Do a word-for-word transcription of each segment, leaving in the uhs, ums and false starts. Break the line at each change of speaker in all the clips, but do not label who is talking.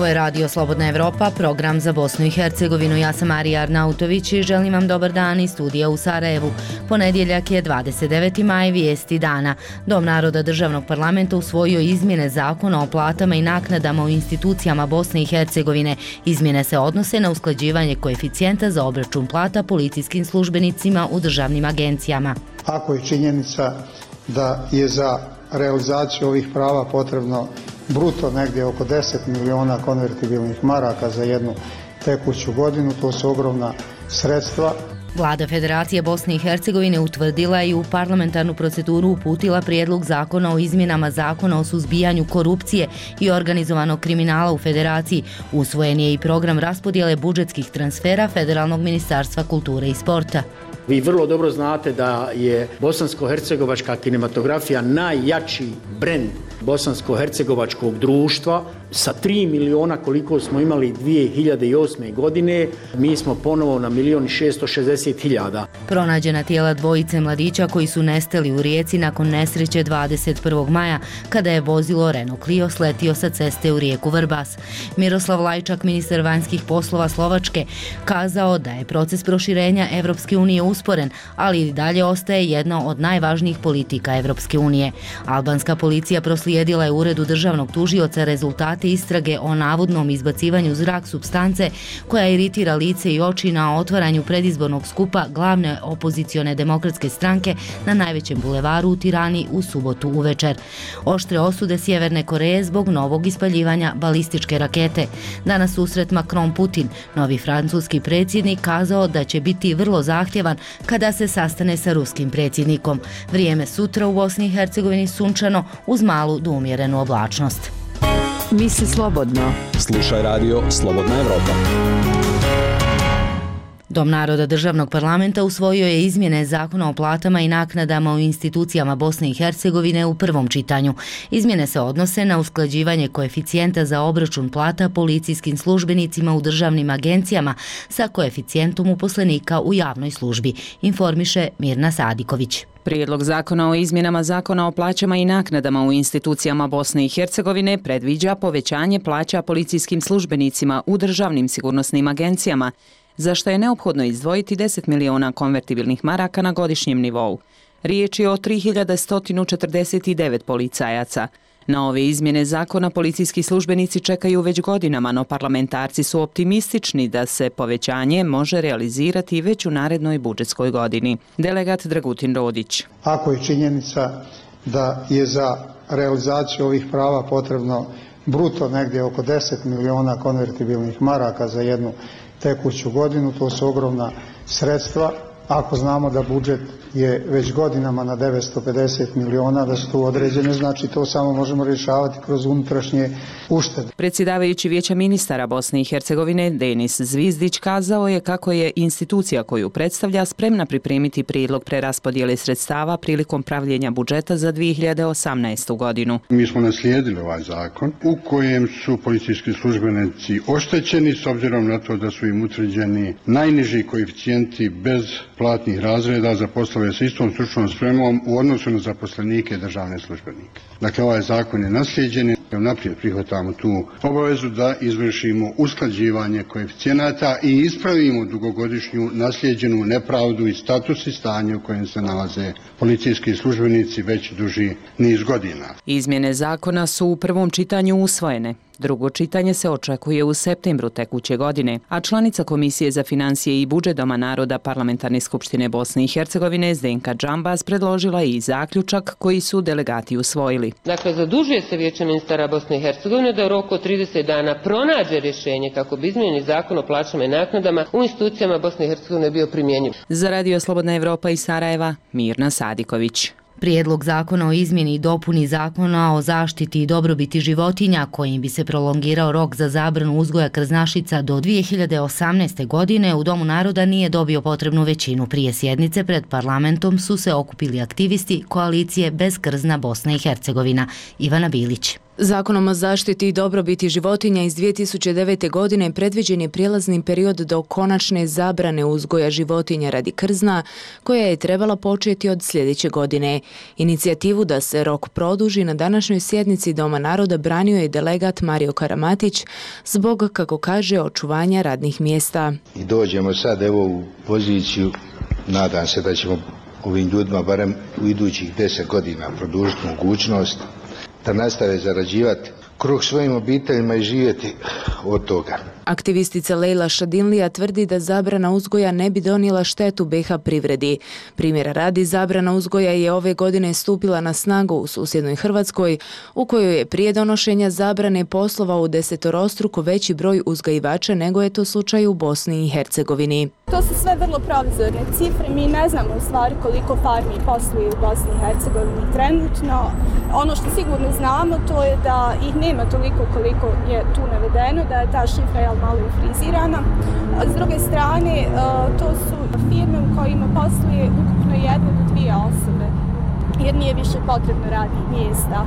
Ovo je Radio Slobodna Evropa, program za Bosnu i Hercegovinu. Ja sam Marija Arnautović i želim vam dobar dan iz studija u Sarajevu. Ponedjeljak je dvadeset deveti maj, vijesti dana. Dom naroda državnog parlamenta usvojio izmjene zakona o platama i naknadama u institucijama Bosne i Hercegovine. Izmjene se odnose na usklađivanje koeficijenta za obračun plata policijskim službenicima u državnim agencijama.
Ako je činjenica da je za realizaciju ovih prava potrebno bruto negdje oko deset miliona konvertibilnih maraka za jednu tekuću godinu, to su ogromna sredstva.
Vlada Federacije Bosne i Hercegovine utvrdila i u parlamentarnu proceduru uputila prijedlog zakona o izmjenama zakona o suzbijanju korupcije i organizovanog kriminala u Federaciji. Usvojen je i program raspodjele budžetskih transfera Federalnog ministarstva kulture i sporta.
Vi vrlo dobro znate da je bosansko-hercegovačka kinematografija najjači brend bosansko-hercegovačkog društva. Sa tri miliona koliko smo imali dvije hiljade osme. godine, mi smo ponovo na milion i šesto šezdeset hiljada.
Pronađena tijela dvojice mladića koji su nestali u Rijeci nakon nesreće dvadeset prvog maja kada je vozilo Renault Clio sletio sa ceste u rijeku Vrbas. Miroslav Lajčak, ministar vanjskih poslova Slovačke, kazao da je proces proširenja Evropske unije usporen, ali i dalje ostaje jedna od najvažnijih politika Evropske unije. Albanska policija proslijedila je uredu državnog tužioca rezultate istrage o navodnom izbacivanju u zrak supstance koja iritira lice i oči na otvaranju predizbornog skupa glavne opozicione demokratske stranke na najvećem bulevaru u Tirani u subotu uvečer. Oštre osude Sjeverne Koreje zbog novog ispaljivanja balističke rakete. Danas susret Macron-Putin, novi francuski predsjednik, kazao da će biti vrlo zahtjevan kada se sastane sa ruskim predsjednikom. Vrijeme sutra u Bosni i Hercegovini sunčano uz malu do umjerenu oblačnost.
Misli slobodno.
Slušaj Radio Slobodna Evropa.
Dom naroda državnog parlamenta usvojio je izmjene zakona o platama i naknadama u institucijama Bosne i Hercegovine u prvom čitanju. Izmjene se odnose na usklađivanje koeficijenta za obračun plata policijskim službenicima u državnim agencijama sa koeficijentom uposlenika u javnoj službi, informiše Mirna Sadiković.
Prijedlog zakona o izmjenama zakona o plaćama i naknadama u institucijama Bosne i Hercegovine predviđa povećanje plaća policijskim službenicima u državnim sigurnosnim agencijama, za što je neophodno izdvojiti deset miliona konvertibilnih maraka na godišnjem nivou. Riječ je o tri hiljade sto četrdeset devet policajaca. Na ove izmjene zakona policijski službenici čekaju već godinama, no parlamentarci su optimistični da se povećanje može realizirati već u narednoj budžetskoj godini. Delegat Dragutin Rodić.
Ako je činjenica da je za realizaciju ovih prava potrebno bruto negdje oko deset miliona konvertibilnih maraka za jednu tekuću godinu, to su ogromna sredstva. Ako znamo da budžet je već godinama na devetsto pedeset miliona, da su tu određene, znači to samo možemo rješavati kroz unutrašnje uštede.
Predsjedavajući Vijeća ministara Bosne i Hercegovine Denis Zvizdić kazao je kako je institucija koju predstavlja spremna pripremiti prijedlog preraspodjele sredstava prilikom pravljenja budžeta za dvije hiljade osamnaestu. godinu.
Mi smo naslijedili ovaj zakon u kojem su policijski službenici oštećeni s obzirom na to da su im utvrđeni najniži koeficijenti bez platnih razreda za poslove sa istom stručnom spremom u odnosu na zaposlenike i državne službenike. Dakle, ovaj zakon je naslijeđen. Naprijed prihvatamo tu obavezu da izvršimo usklađivanje koeficijenata i ispravimo dugogodišnju naslijeđenu nepravdu i status i stanje u kojem se nalaze policijski službenici već duži niz godina.
Izmjene zakona su u prvom čitanju usvojene. Drugo čitanje se očekuje u septembru tekuće godine, a članica Komisije za financije i budžet Doma naroda Parlamentarne skupštine Bosne i Hercegovine Zdenka Džambaz predložila i zaključak koji su delegati usvojili.
Dakle, zadužuje se Vijeće ministara Bosne i Hercegovine da u roku od trideset dana pronađe rješenje kako bi izmijenjeni zakon o plaćama i naknadama u institucijama Bosne i Hercegovine bio primjenjiv.
Za Radio Slobodna Evropa iz Sarajeva, Mirna Sadiković.
Prijedlog zakona o izmjeni i dopuni zakona o zaštiti i dobrobiti životinja kojim bi se prolongirao rok za zabranu uzgoja krznašica do dvije hiljade osamnaeste. godine u Domu naroda nije dobio potrebnu većinu. Prije sjednice pred parlamentom su se okupili aktivisti koalicije Bez krzna Bosna i Hercegovina. Ivana Bilić.
Zakonom o zaštiti i dobrobiti životinja iz dvije tisuće devete. godine predviđen je prijelazni period do konačne zabrane uzgoja životinja radi krzna, koja je trebala početi od sljedeće godine. Inicijativu da se rok produži na današnjoj sjednici Doma naroda branio je delegat Mario Karamatić zbog, kako kaže, očuvanja radnih mjesta.
I dođemo sad evo u poziciju, nadam se da ćemo ovim ljudima barem u idućih deset godina produžiti mogućnost da nastave zarađivati kruh svojim obiteljima i živjeti od toga.
Aktivistica Lejla Šadinlija tvrdi da zabrana uzgoja ne bi donijela štetu B iH privredi. Primjera radi, zabrana uzgoja je ove godine stupila na snagu u susjednoj Hrvatskoj, u kojoj je prije donošenja zabrane poslovao u desetorostruko veći broj uzgajivača nego je to slučaj u Bosni i Hercegovini.
To su sve vrlo provizorne cifre, mi ne znamo u stvari koliko farmi posluje u Bosni i Hercegovini trenutno. Ono što sigurno znamo to je da ih nema toliko koliko je tu navedeno, da je ta šifra malo frizirana. S druge strane, to su firme u kojima posluje ukupno jedne do dvije osobe, jer nije više potrebno radnih mjesta.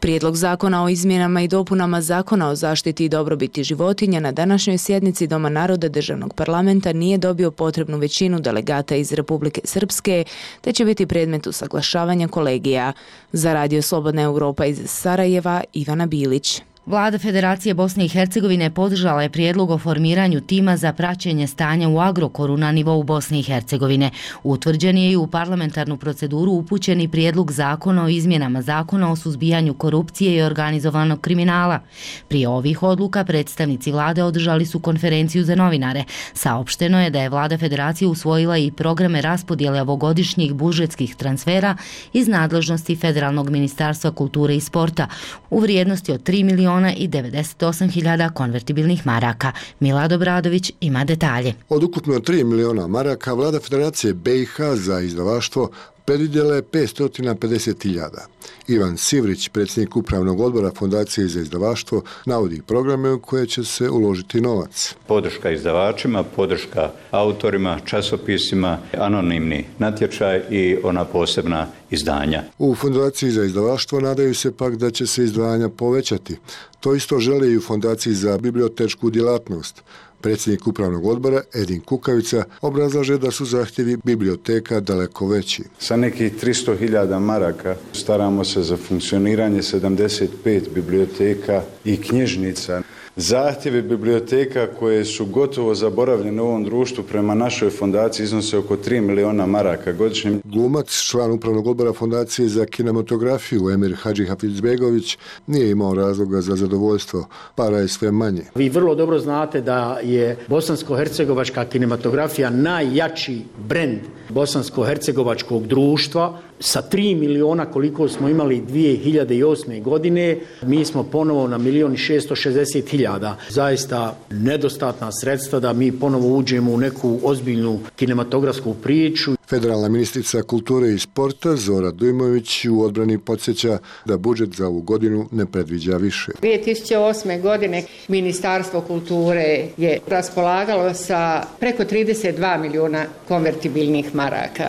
Prijedlog zakona o izmjenama i dopunama Zakona o zaštiti i dobrobiti životinja na današnjoj sjednici Doma naroda Državnog parlamenta nije dobio potrebnu većinu delegata iz Republike Srpske, te će biti predmet usaglašavanja kolegija. Za Radio Slobodna Europa iz Sarajeva, Ivana Bilić.
Vlada Federacije Bosne i Hercegovine podržala je prijedlog o formiranju tima za praćenje stanja u Agrokoru na nivou Bosne i Hercegovine. Utvrđen je i u parlamentarnu proceduru upućeni prijedlog zakona o izmjenama Zakona o suzbijanju korupcije i organizovanog kriminala. Prije ovih odluka predstavnici vlade održali su konferenciju za novinare. Saopšteno je da je Vlada Federacije usvojila i programe raspodjele ovogodišnjih budžetskih transfera iz nadležnosti Federalnog ministarstva kulture i sporta u vrijednosti od tri miliona i devedeset osam hiljada konvertibilnih maraka. Milad Obradović ima detalje.
Od ukupno tri miliona maraka Vlada Federacije B iH za izdavaštvo predvidjela je petsto pedeset hiljada. Ivan Sivrić, predsjednik upravnog odbora Fondacije za izdavaštvo, navodi programe u koje će se uložiti novac.
Podrška izdavačima, podrška autorima, časopisima, anonimni natječaj i ona posebna izdanja.
U Fondaciji za izdavaštvo nadaju se pak da će se izdvajanja povećati. To isto žele i u Fondaciji za bibliotečku djelatnost. Predsjednik upravnog odbora Edin Kukavica obrazlaže da su zahtjevi biblioteka daleko veći.
Sa nekih tristo hiljada maraka staramo se za funkcioniranje sedamdeset pet biblioteka i knjižnica. Zahtjevi biblioteka koje su gotovo zaboravljene u ovom društvu prema našoj fondaciji iznose oko tri miliona maraka godišnje.
Glumac, član upravnog odbora Fondacije za kinematografiju Emir Hadži Hafizbegović nije imao razloga za zadovoljstvo. Para je sve manje.
Vi vrlo dobro znate da je bosansko-hercegovačka kinematografija najjači brend bosansko-hercegovačkog društva. Sa tri miliona koliko smo imali dvije hiljade osme. godine, mi smo ponovo na milion i šesto šezdeset hiljada. Zaista nedostatna sredstva da mi ponovo uđemo u neku ozbiljnu kinematografsku priču.
Federalna ministrica kulture i sporta Zora Dujmović u odbrani podsjeća da budžet za ovu godinu ne predviđa više.
dvije tisuće osme. godine Ministarstvo kulture je raspolagalo sa preko trideset dva miliona konvertibilnih maraka.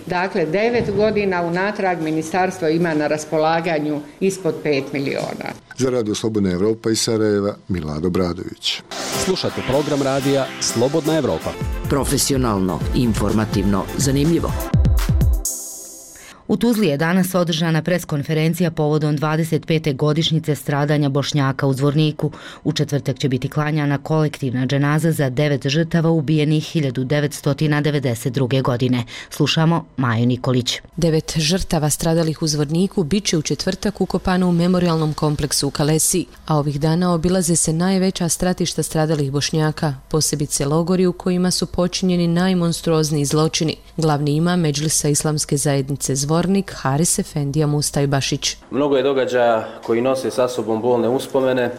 Dakle, devet godina unatrag ministarstvo ima na raspolaganju ispod pet miliona.
Za Radio Slobodna Evropa iz Sarajeva, Milad Obradović.
Slušate program radija Slobodna Evropa.
Profesionalno, informativno, zanimljivo.
U Tuzli je danas održana preskonferencija povodom dvadeset pete godišnjice stradanja Bošnjaka u Zvorniku. U četvrtak će biti klanjana kolektivna dženaza za devet žrtava ubijenih hiljadu devetsto devedeset druge. godine. Slušamo Maju Nikolić.
Devet žrtava stradalih u Zvorniku bit će u četvrtak ukopano u memorialnom kompleksu u Kalesi, a ovih dana obilaze se najveća stratišta stradalih Bošnjaka, posebice logori u kojima su počinjeni najmonstruozniji zločini. Glavni imam Medžlisa Islamske zajednice Zvornik Haris Efendija Mustajbašić.
Mnogo je događaja koji nose sa sobom bolne uspomene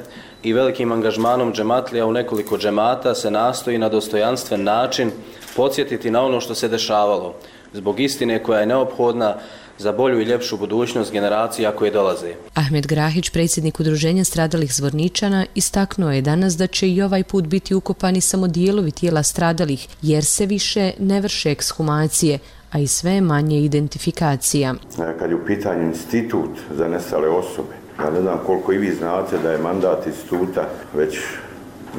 i velikim angažmanom džematlija u nekoliko džemata se nastoji na dostojanstven način podsjetiti na ono što se dešavalo, zbog istine koja je neophodna za bolju i ljepšu budućnost generacija koje dolaze.
Ahmed Grahić, predsjednik udruženja stradalih Zvorničana, istaknuo je danas da će i ovaj put biti ukopani samo dijelovi tijela stradalih, jer se više ne vrše ekshumacije, a i sve manje identifikacija.
Kad je u pitanju institut za nestale osobe, Ja ne znam koliko i vi znate da je mandat instituta već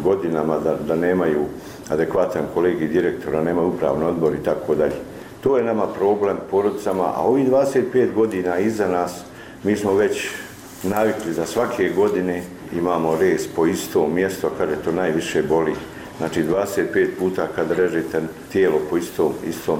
godinama da, da nemaju adekvatan kolegij direktora, nemaju upravni odbor i tako dalje. To je nama problem porodicama, a ovih dvadeset pet godina iza nas mi smo već navikli za svake godine imamo rez po istom mjestu, kada to najviše boli. Znači dvadeset pet puta kad režete tijelo po istom, istom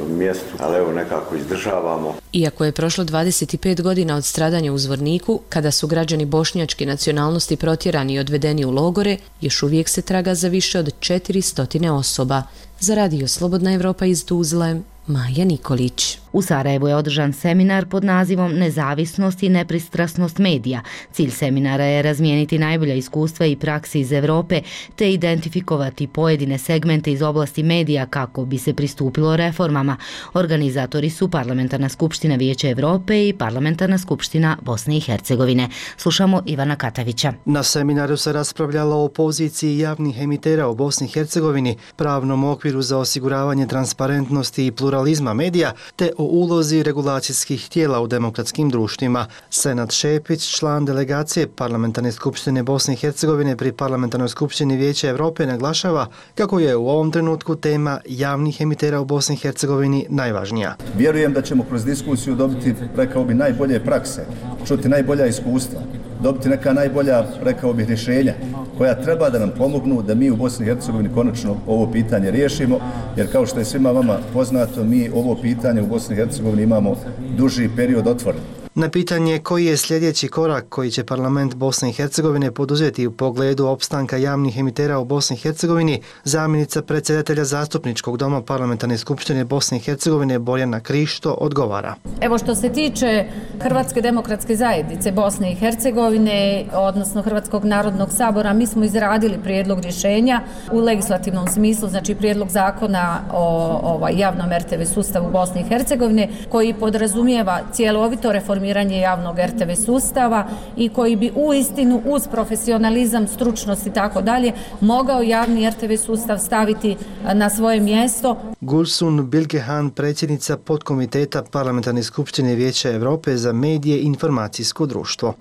mjestu, ali evo nekako izdržavamo.
Iako je prošlo dvadeset pet godina od stradanja u Zvorniku, kada su građani bošnjačke nacionalnosti protjerani i odvedeni u logore, još uvijek se traga za više od četiristo osoba. Za Radio Slobodna Evropa iz Tuzle, Maja Nikolić.
U Sarajevu je održan seminar pod nazivom Nezavisnost i nepristrasnost medija. Cilj seminara je razmijeniti najbolja iskustva i praksi iz Evrope te identifikovati pojedine segmente iz oblasti medija kako bi se pristupilo reformama. Organizatori su Parlamentarna skupština Vijeća Evrope i Parlamentarna skupština Bosne i Hercegovine. Slušamo Ivana Katavića.
Na seminaru se raspravljalo o poziciji javnih emitera u Bosni i Hercegovini, pravnom okviru za osiguravanje transparentnosti i pluralizma medija, te o ulozi regulacijskih tijela u demokratskim društvima. Senad Šepić, član delegacije Parlamentarne skupštine Bosne i Hercegovine pri Parlamentarnoj skupštini Vijeća Evrope, naglašava kako je u ovom trenutku tema javnih emitera u Bosni i Hercegovini najvažnija.
Vjerujem da ćemo kroz diskusiju dobiti, rekao bi, najbolje prakse, čuti najbolja iskustva, dobiti neka najbolja, rekao bih, rješenja koja treba da nam pomognu da mi u Bosni i Hercegovini konačno ovo pitanje riješimo, jer kao što je svima vama poznato, mi ovo pitanje u Bosni i Hercegovini imamo duži period otvoren.
Na pitanje koji je sljedeći korak koji će parlament Bosne i Hercegovine poduzeti u pogledu opstanka javnih emitera u Bosni i Hercegovini, zamjenica predsjedatelja Zastupničkog doma Parlamentarne skupštine Bosne i Hercegovine Borjana Krišto odgovara.
Evo, što se tiče Hrvatske demokratske zajednice Bosne i Hercegovine, odnosno Hrvatskog narodnog sabora, mi smo izradili prijedlog rješenja u legislativnom smislu, znači prijedlog zakona o ovaj, javnom er te ve sustavu Bosne i Hercegovine, koji podrazumijeva cjelovito reformiranje javnog er te ve sustava i koji bi uistinu uz profesionalizam, stručnost i tako dalje mogao javni er te ve sustav staviti na svoje mjesto.
Gulsun Bilgehan, predsjednica podkomiteta Parlamentarne skupštine Vijeća Evrope za medije i informacijsko društvo.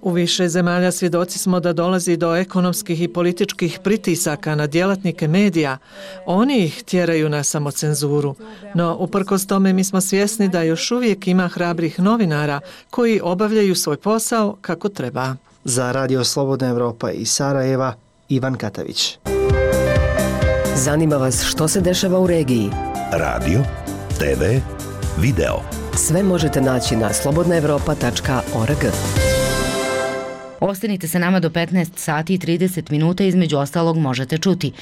U više zemalja svjedoci smo da dolazi do ekonomskih i političkih pritisaka na djelatnike medija. Oni ih tjeraju na samocenzuru. No, uprkos tome mi smo svjesni da još uvijek ima hrabrih novinara koji obavljaju svoj posao kako treba.
Za Radio Slobodna Evropa iz Sarajeva, Ivan Katavić.
Zanima vas što se dešava u regiji?
Radio, te ve, video.
Sve možete naći na slobodna evropa tačka org.
Ostanite sa nama do petnaest sati i trideset minuta, između ostalog možete čuti.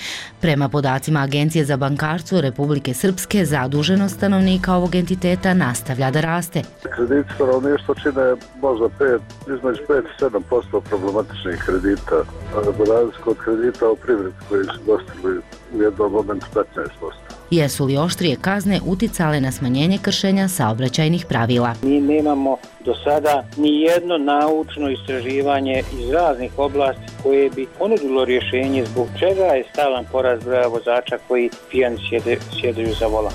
Prema podacima Agencije za bankarstvo Republike Srpske, zaduženost stanovnika ovog entiteta nastavlja da raste.
Krediti stanovništva čine možda pet, između pet i sedam posto problematičnih kredita, za razliku od kredita u privredi koji su dostigli u jednom momentu petnaest posto.
Jesu li oštrije kazne uticale na smanjenje kršenja saobraćajnih pravila?
Mi nemamo do sada ni jedno naučno istraživanje iz raznih oblasti koje bi ponudilo rješenje zbog čega je stalan porast broja vozača koji pijani sjede, sjedaju za volan.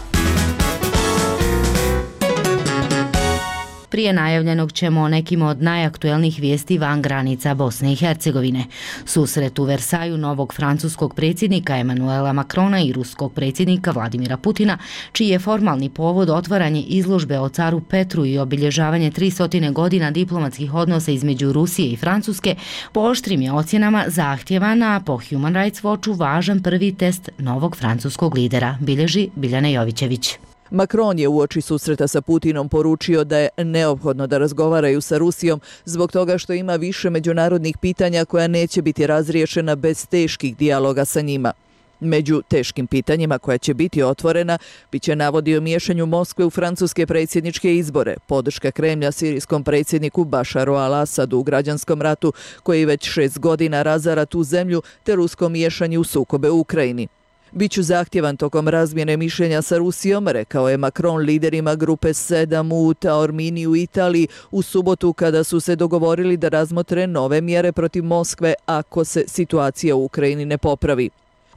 Prije najavljenog ćemo o nekim od najaktuelnijih vijesti van granica Bosne i Hercegovine. Susret u Versaju novog francuskog predsjednika Emanuela Macrona i ruskog predsjednika Vladimira Putina, čiji je formalni povod otvaranje izložbe o caru Petru i obilježavanje tristo godina diplomatskih odnosa između Rusije i Francuske, po oštrim je ocjenama zahtjevan, a po Human Rights Watchu važan prvi test novog francuskog lidera, bilježi Biljana Jovićević.
Macron je uoči susreta sa Putinom poručio da je neophodno da razgovaraju sa Rusijom zbog toga što ima više međunarodnih pitanja koja neće biti razriješena bez teških dijaloga sa njima. Među teškim pitanjima koja će biti otvorena biće navodi o miješanju Moskve u francuske predsjedničke izbore, podrška Kremlja sirijskom predsjedniku Bašaru al-Asadu u građanskom ratu koji već šest godina razara tu zemlju, te rusko miješanje u sukobe u Ukrajini. Biću zahtjevan tokom razmjene mišljenja sa Rusijom, rekao je Macron liderima grupe sedam u Taormini u Italiji u subotu kada su se dogovorili da razmotre nove mjere protiv Moskve ako se situacija u Ukrajini ne popravi.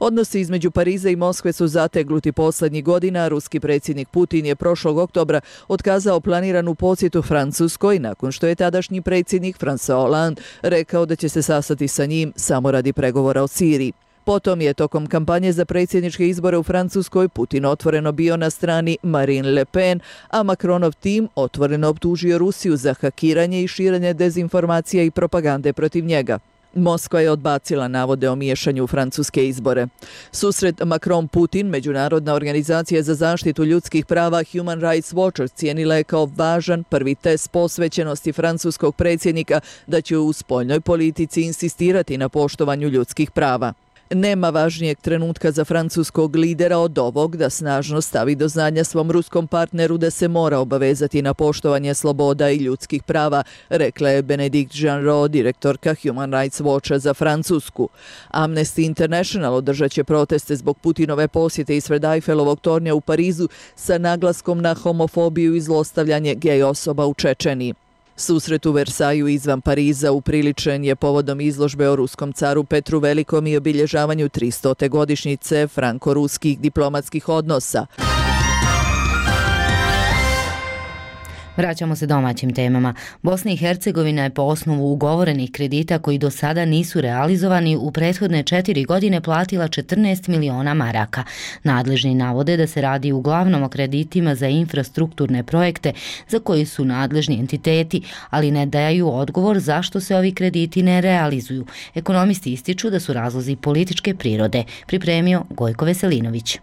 Odnosi između Pariza i Moskve su zategnuti posljednjih godina. Ruski predsjednik Putin je prošlog oktobra otkazao planiranu posjetu Francuskoj nakon što je tadašnji predsjednik François Hollande rekao da će se sastati sa njim samo radi pregovora o Siriji. Potom je tokom kampanje za predsjedničke izbore u Francuskoj Putin otvoreno bio na strani Marine Le Pen, a Macronov tim otvoreno optužio Rusiju za hakiranje i širenje dezinformacija i propagande protiv njega. Moskva je odbacila navode o miješanju u francuske izbore. Susret Macron-Putin, Međunarodna organizacija za zaštitu ljudskih prava Human Rights Watch cijenila je kao važan prvi test posvećenosti francuskog predsjednika da će u spoljnoj politici insistirati na poštovanju ljudskih prava. Nema važnijeg trenutka za francuskog lidera od ovog da snažno stavi do znanja svom ruskom partneru da se mora obavezati na poštovanje sloboda i ljudskih prava, rekla je Benedikt Jeanrot, direktorka Human Rights Watcha za Francusku. Amnesty International održat će proteste zbog Putinove posjete ispred Eiffelovog tornja u Parizu sa naglaskom na homofobiju i zlostavljanje gej osoba u Čečeniji. Susret u Versaju izvan Pariza upriličen je povodom izložbe o ruskom caru Petru Velikom i obilježavanju tristote godišnjice franko-ruskih diplomatskih odnosa.
Vraćamo se domaćim temama. Bosna i Hercegovina je po osnovu ugovorenih kredita koji do sada nisu realizovani u prethodne četiri godine platila četrnaest miliona maraka. Nadležni navode da se radi uglavnom o kreditima za infrastrukturne projekte za koji su nadležni entiteti, ali ne daju odgovor zašto se ovi krediti ne realizuju. Ekonomisti ističu da su razlozi političke prirode. Pripremio Gojko Veselinović.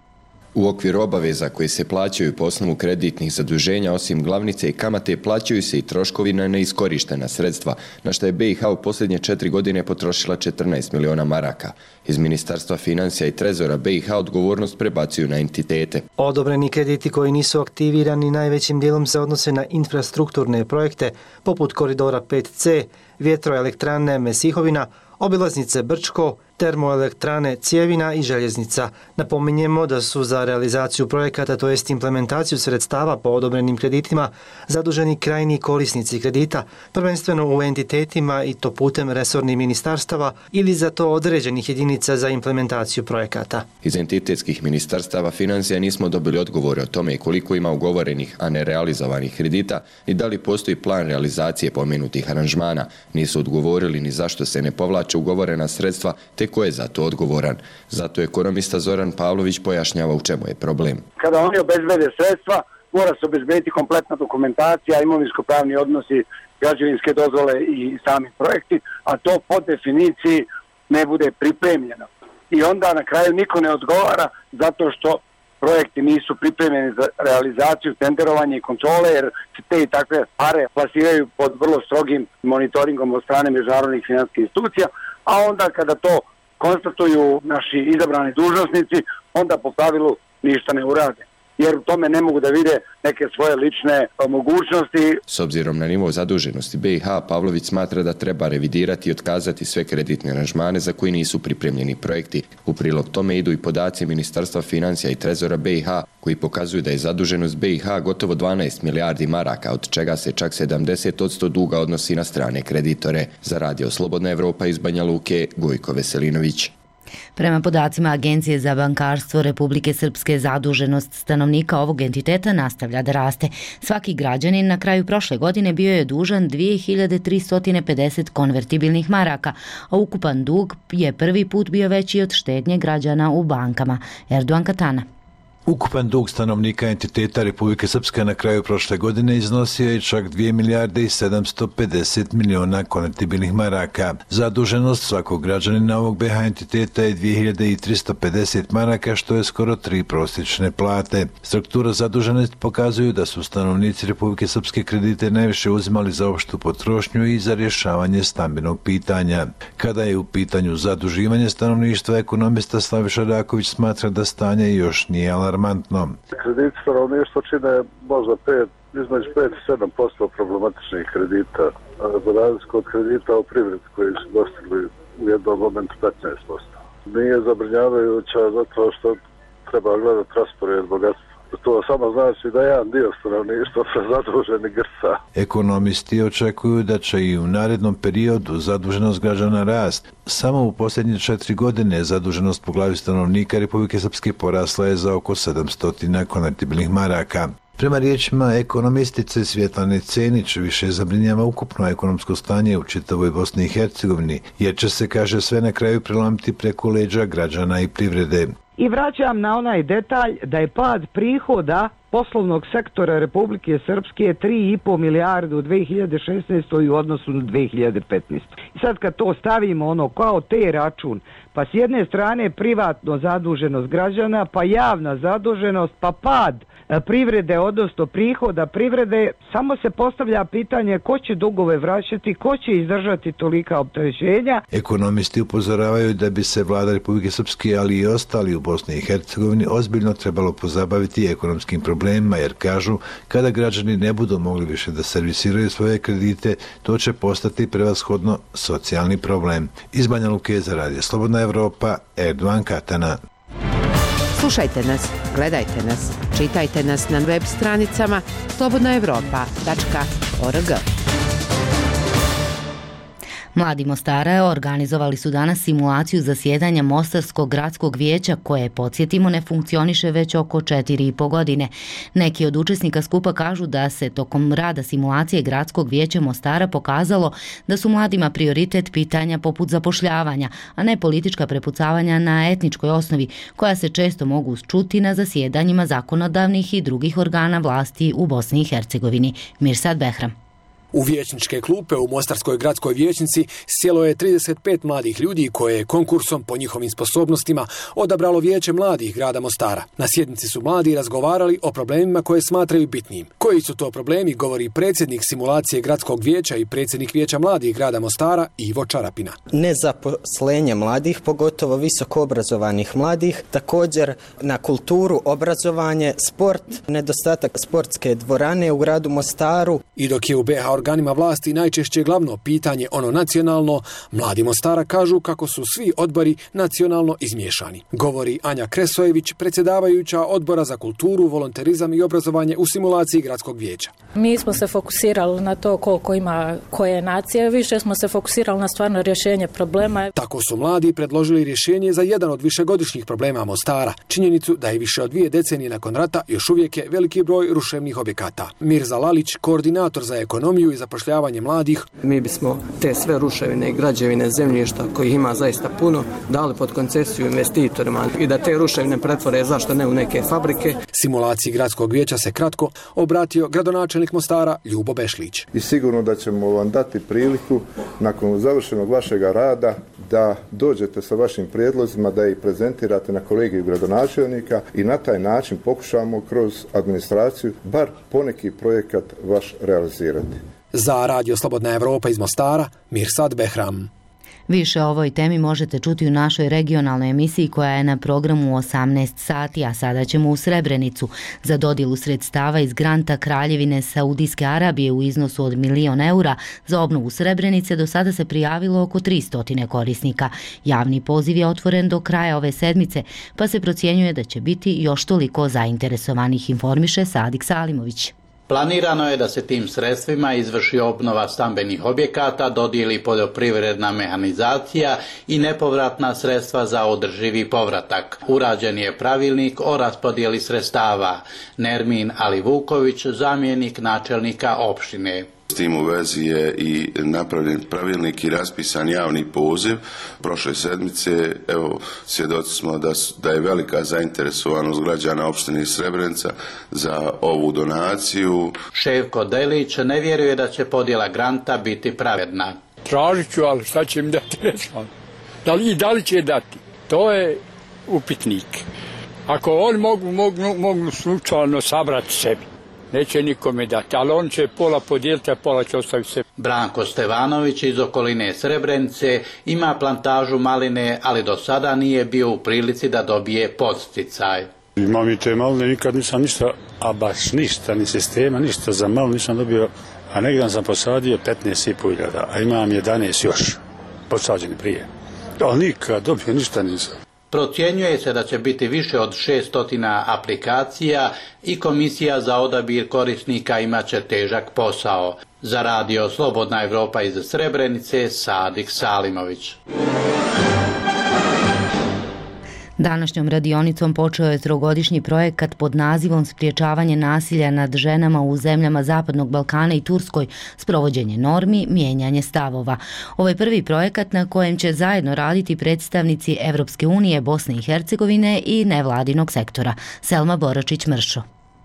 U okviru obaveza koji se plaćaju po osnovu kreditnih zaduženja, osim glavnice i kamate, plaćaju se i troškovi na neiskorištena sredstva, na što je B i H u posljednje četiri godine potrošila četrnaest miliona maraka. Iz Ministarstva financija i Trezora B i H odgovornost prebacuju na entitete.
Odobreni krediti koji nisu aktivirani najvećim dijelom se odnose na infrastrukturne projekte poput koridora pet C, vjetroelektrane Mesihovina, obilaznice Brčko, termoelektrane Cjevina i željeznica. Napominjemo da su za realizaciju projekata, to jest implementaciju sredstava po odobrenim kreditima, zaduženi krajni korisnici kredita, prvenstveno u entitetima i to putem resornih ministarstava ili za to određenih jedinica za implementaciju projekata.
Iz entitetskih ministarstava financija nismo dobili odgovore o tome koliko ima ugovorenih, a ne realizovanih kredita i da li postoji plan realizacije pomenutih aranžmana. Nisu odgovorili ni zašto se ne povlače ugovorena sredstva, te ko je za to odgovoran. Zato ekonomista Zoran Pavlović pojašnjava u čemu je problem.
Kada oni obezbede sredstva, mora se obezbediti kompletna dokumentacija, imovinsko-pravni odnosi, građevinske dozvole i sami projekti, a to po definiciji ne bude pripremljeno. I onda na kraju niko ne odgovara zato što projekti nisu pripremljeni za realizaciju, tenderovanje i kontrole, jer se te i takve pare plasiraju pod vrlo strogim monitoringom od strane međunarodnih financijskih institucija, a onda kada to konstatuju naši izabrani dužnosnici, onda po pravilu ništa ne urade, jer u tome ne mogu da vide neke svoje lične mogućnosti.
S obzirom na nivo zaduženosti B i H, Pavlović smatra da treba revidirati i otkazati sve kreditne aranžmane za koji nisu pripremljeni projekti. U prilog tome idu i podaci Ministarstva financija i Trezora B i H, koji pokazuju da je zaduženost B i H gotovo dvanaest milijardi maraka, od čega se čak sedamdeset posto duga odnosi na strane kreditore. Za Radio Slobodna Evropa iz Banja Luke, Gojko Veselinović.
Prema podacima Agencije za bankarstvo Republike Srpske, zaduženost stanovnika ovog entiteta nastavlja da raste. Svaki građanin na kraju prošle godine bio je dužan dvije hiljade tristo pedeset konvertibilnih maraka, a ukupan dug je prvi put bio veći od štednje građana u bankama. Erdogan Katana.
Ukupan dug stanovnika entiteta Republike Srpske na kraju prošle godine iznosio je čak dvije milijarde i sedamsto pedeset miliona konvertibilnih maraka. Zaduženost svakog građanina ovog B H entiteta je dvije hiljade tristo pedeset maraka, što je skoro tri prosječne plate. Struktura zaduženosti pokazuju da su stanovnici Republike Srpske kredite najviše uzimali za opštu potrošnju i za rješavanje stambenog pitanja. Kada je u pitanju zaduživanje stanovništva, ekonomista Slaviša Raković smatra da stanje još nije alarmantno.
Krediti stanovništva čine možda pet, između pet i sedam posto problematičnih kredita, za razliku od kredita u privredi koji su dostigli u jednom momentu petnaest posto. Nije zabrinjavajuća zato što treba gledati raspored bogatstva. To samo znači da jedan dio stanovništva prezaduženi grca.
Ekonomisti očekuju da će i u narednom periodu zaduženost građana rast. Samo u posljednje četiri godine zaduženost po glavi stanovnika Republike Srpske porasla je za oko sedamsto konvertibilnih maraka. Prema riječima ekonomistice Svjetlane Cenić, više zabrinjava ukupno ekonomsko stanje u čitavoj Bosni i Hercegovini, jer će se, kaže, sve na kraju prelomiti preko leđa građana i privrede.
I vraćam na onaj detalj da je pad prihoda poslovnog sektora Republike Srpske tri i po milijarde u dve hiljade šesnaestoj u odnosu na dve hiljade petnaestoj. I sad kad to stavimo ono kao te račun, pa s jedne strane privatno zaduženost građana, pa javna zaduženost, pa pad privrede, odnosno prihoda privrede, samo se postavlja pitanje ko će dugove vraćati, ko će izdržati tolika opterećenja.
Ekonomisti upozoravaju da bi se vlada Republike Srpske, ali i ostali u Bosni i Hercegovini, ozbiljno trebalo pozabaviti ekonomskim problemima, jer kažu, kada građani ne budu mogli više da servisiraju svoje kredite, to će postati prevashodno socijalni problem. Iz Banja Luke za Radio Slobodna Evropa, Erdovan Katana.
Slušajte nas, gledajte nas, čitajte nas na web stranicama slobodna evropa tačka org.
Mladi Mostara organizovali su danas simulaciju zasjedanja Mostarskog gradskog vijeća koje, podsjetimo, ne funkcioniše već oko četiri i po godine. Neki od učesnika skupa kažu da se tokom rada simulacije gradskog vijeća Mostara pokazalo da su mladima prioritet pitanja poput zapošljavanja, a ne politička prepucavanja na etničkoj osnovi koja se često mogu čuti na zasjedanjima zakonodavnih i drugih organa vlasti u Bosni i Hercegovini. Mirsad Behram.
U vijećničke klupe u Mostarskoj gradskoj vijećnici sjelo je trideset pet mladih ljudi koje je konkursom po njihovim sposobnostima odabralo vijeće mladih grada Mostara. Na sjednici su mladi razgovarali o problemima koje smatraju bitnim. Koji su to problemi, govori predsjednik simulacije gradskog vijeća i predsjednik vijeća mladih grada Mostara Ivo Čarapina.
Nezaposlenje mladih, pogotovo visoko obrazovanih mladih, također na kulturu, obrazovanje, sport, nedostatak sportske dvorane u gradu Mostaru.
I dok je u B H organima vlasti najčešće glavno pitanje ono nacionalno, mladi Mostara kažu kako su svi odbori nacionalno izmiješani. Govori Anja Kresojević, predsjedavajuća odbora za kulturu, volonterizam i obrazovanje u simulaciji gradskog vijeća.
Mi smo se fokusirali na to koliko ima koje nacije, više smo se fokusirali na stvarno rješenje problema.
Tako su mladi predložili rješenje za jedan od višegodišnjih problema Mostara, činjenicu da je više od dvije decenije nakon rata još uvijek je veliki broj ruševnih objekata. Mirza Lalić, koordinator za ekonomiju i zapošljavanje mladih.
Mi bismo te sve ruševine i građevine zemljišta kojih ima zaista puno dali pod koncesiju investitorima i da te ruševine pretvore zašto ne u neke fabrike.
Simulaciji gradskog vijeća se kratko obratio gradonačelnik Mostara Ljubo Bešlić.
I sigurno da ćemo vam dati priliku nakon završenog vašeg rada da dođete sa vašim prijedlozima, da ih prezentirate na kolegiju gradonačelnika i na taj način pokušamo kroz administraciju bar poneki projekat vaš realizirati.
Za Radio Slobodna Evropa iz Mostara, Mirsad Behram.
Više o ovoj temi možete čuti u našoj regionalnoj emisiji koja je na programu u osamnaest sati, a sada ćemo u Srebrenicu. Za dodjelu sredstava iz granta Kraljevine Saudijske Arabije u iznosu od milion eura za obnovu Srebrenice do sada se prijavilo oko tristo korisnika. Javni poziv je otvoren do kraja ove sedmice, pa se procjenjuje da će biti još toliko zainteresovanih, informiše Sadik Salimović.
Planirano je da se tim sredstvima izvrši obnova stambenih objekata, dodijeli poljoprivredna mehanizacija i nepovratna sredstva za održivi povratak. Urađen je pravilnik o raspodijeli sredstava. Nermin Alivuković, zamjenik načelnika opštine.
S tim u vezi je i napravljen pravilnik i raspisan javni poziv prošle sedmice. Evo, svjedoci smo da, da je velika zainteresovanost građana opštine Srebrenica za ovu donaciju.
Ševko Delić ne vjeruje da će podjela granta biti pravedna.
Tražit ću, ali šta će mi dati, ne znam. Da li, da li će dati? To je upitnik. Ako oni mogu, mogu, mogu slučajno sabrati sebi, neće nikome dati, ali on će pola podijeliti, a pola će ostaviti se.
Branko Stevanović iz okoline Srebrenice ima plantažu maline, ali do sada nije bio u prilici da dobije podsticaj.
Imam i te maline, nikad nisam ništa, a baš ništa, ni sistema, ništa za malu nisam dobio, a negdje sam posadio petnaest i pol hiljada, a imam jedanaest još posađeni prije. Ali nikad dobio ništa nisam.
Procjenjuje se da će biti više od šesto aplikacija i komisija za odabir korisnika imat će težak posao. Za radio Slobodna Evropa iz Srebrenice, Sadik Salimović.
Današnjom radionicom počeo je trogodišnji projekat pod nazivom Spriječavanje nasilja nad ženama u zemljama Zapadnog Balkana i Turskoj, sprovođenje normi, mijenjanje stavova. Ovo je prvi projekat na kojem će zajedno raditi predstavnici Evropske unije, Bosne i Hercegovine i nevladinog sektora. Selma Boračić-Mršo.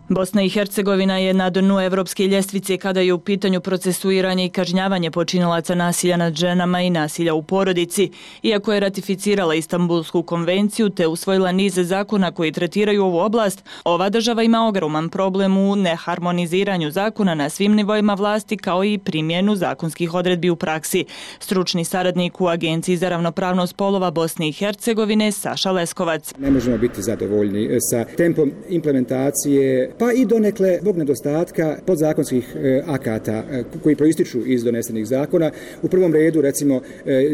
Bosna i Hercegovina je na dnu evropske ljestvice kada je u pitanju procesuiranje i kažnjavanje počinilaca nasilja nad ženama i nasilja u porodici. Iako je ratificirala Istanbulsku konvenciju te usvojila niz zakona koji tretiraju ovu oblast, ova država ima ogroman problem u neharmoniziranju zakona na svim nivoima vlasti kao i primjenu zakonskih odredbi u praksi. Stručni saradnik u Agenciji za ravnopravnost polova Bosne i Hercegovine Saša Leskovac.
Ne možemo biti zadovoljni sa tempom implementacije, pa i donekle zbog nedostatka podzakonskih akata koji proističu iz donesenih zakona. U prvom redu, recimo,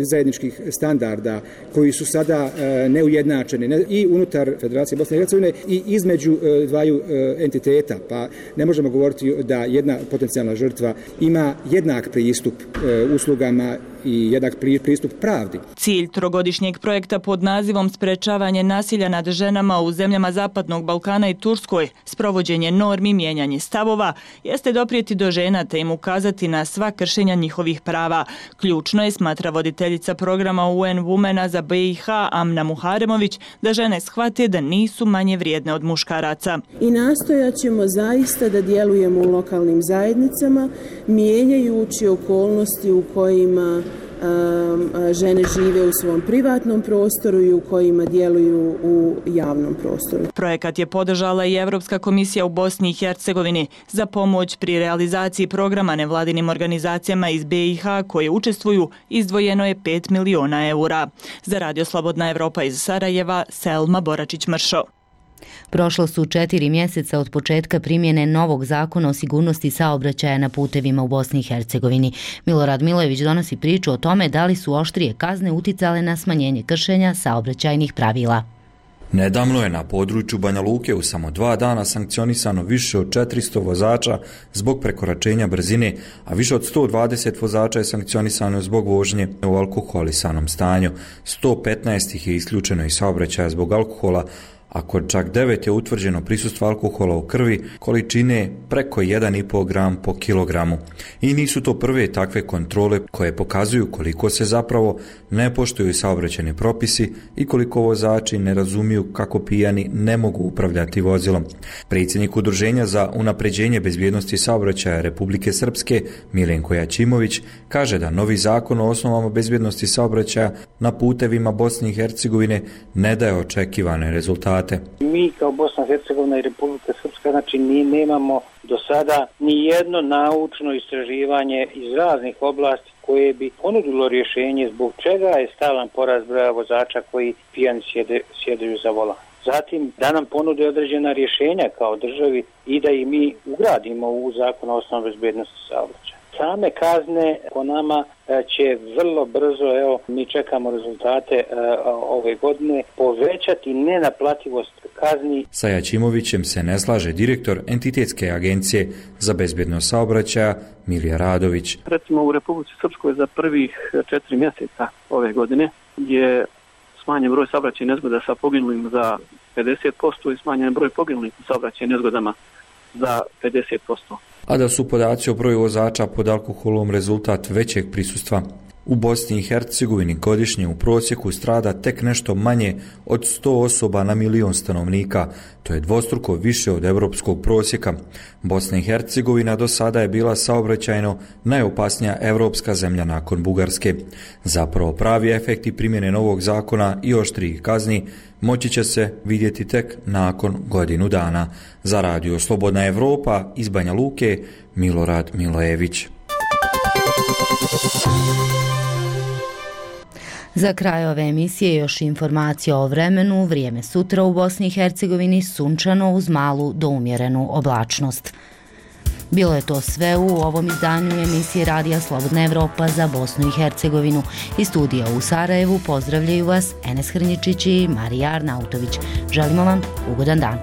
zajedničkih standarda koji su sada neujednačeni i unutar Federacije Bosne i Hercegovine i između dvaju entiteta. Pa ne možemo govoriti da jedna potencijalna žrtva ima jednak pristup uslugama i jednak pristup pravdi.
Cilj trogodišnjeg projekta pod nazivom Sprečavanje nasilja nad ženama u zemljama Zapadnog Balkana i Turskoj, sprovođenje normi, mijenjanje stavova, jeste doprijeti do žena te im ukazati na sva kršenja njihovih prava. Ključno je, smatra voditeljica programa U N Womena za B i H Amna Muharemović, da žene shvate da nisu manje vrijedne od muškaraca.
I nastojat ćemo zaista da djelujemo u lokalnim zajednicama, mijenjajući okolnosti u kojima žene žive u svom privatnom prostoru i u kojima djeluju u javnom prostoru.
Projekat je podržala i Evropska komisija u Bosni i Hercegovini. Za pomoć pri realizaciji programa nevladinim organizacijama iz B i H koje učestvuju izdvojeno je pet miliona eura. Za radio Slobodna Evropa iz Sarajeva, Selma Boračić-Mršo.
Prošlo su četiri mjeseca od početka primjene novog zakona o sigurnosti saobraćaja na putevima u Bosni i Hercegovini. Milorad Milojević donosi priču o tome da li su oštrije kazne uticale na smanjenje kršenja saobraćajnih pravila.
Nedavno je na području Banja Luke u samo dva dana sankcionisano više od četiristo vozača zbog prekoračenja brzine, a više od sto dvadeset vozača je sankcionisano zbog vožnje u alkoholisanom stanju. sto petnaest ih je isključeno iz saobraćaja zbog alkohola, a kod čak devet je utvrđeno prisustvo alkohola u krvi količine preko jedan i pol gram po kilogramu. I nisu to prve takve kontrole koje pokazuju koliko se zapravo ne poštuju saobraćajni propisi i koliko vozači ne razumiju kako pijani ne mogu upravljati vozilom. Predsjednik Udruženja za unapređenje bezbjednosti saobraćaja Republike Srpske, Milenko Jačimović, kaže da novi zakon o osnovama bezbjednosti saobraćaja na putevima Bosne i Hercegovine ne daje očekivane rezultate.
Mi kao Bosna i Hercegovina i Republika Srpska, znači mi nemamo do sada ni jedno naučno istraživanje iz raznih oblasti koje bi ponudilo rješenje zbog čega je stalan porast broja vozača koji pijani sjede, sjedaju za volan. Zatim da nam ponude određena rješenja kao državi i da i mi ugradimo u zakon o osnovnoj bezbjednosti saobraćaja. Same kazne po nama će vrlo brzo, evo mi čekamo rezultate e, ove godine, povećati nenaplativost kazni.
Sa Jačimovićem se ne slaže direktor Entitetske agencije za bezbjednost saobraćaja Milija Radović.
Recimo u Republici Srpskoj za prvih četiri mjeseca ove godine je smanjen broj saobraćajnih nezgoda sa poginulim za pedeset posto i smanjen broj poginulih u saobraćajnim nezgodama za pedeset posto.
A da su podaci o broju vozača pod alkoholom rezultat većeg prisustva. U Bosni i Hercegovini godišnje u prosjeku strada tek nešto manje od sto osoba na milion stanovnika. To je dvostruko više od europskog prosjeka. Bosna i Hercegovina do sada je bila saobraćajno najopasnija europska zemlja nakon Bugarske. Zapravo pravi efekti primjene novog zakona i oštrih kazni moći će se vidjeti tek nakon godinu dana. Za radio Slobodna Evropa iz Banja Luke, Milorad Milojević.
Za kraj ove emisije još informacija o vremenu. Vrijeme sutra u Bosni i Hercegovini sunčano uz malu do umjerenu oblačnost. Bilo je to sve u ovom izdanju emisije Radija Slobodna Evropa za Bosnu i Hercegovinu. Iz studija u Sarajevu pozdravljaju vas Enes Hrničić i Marija Arnautović. Želimo vam ugodan dan.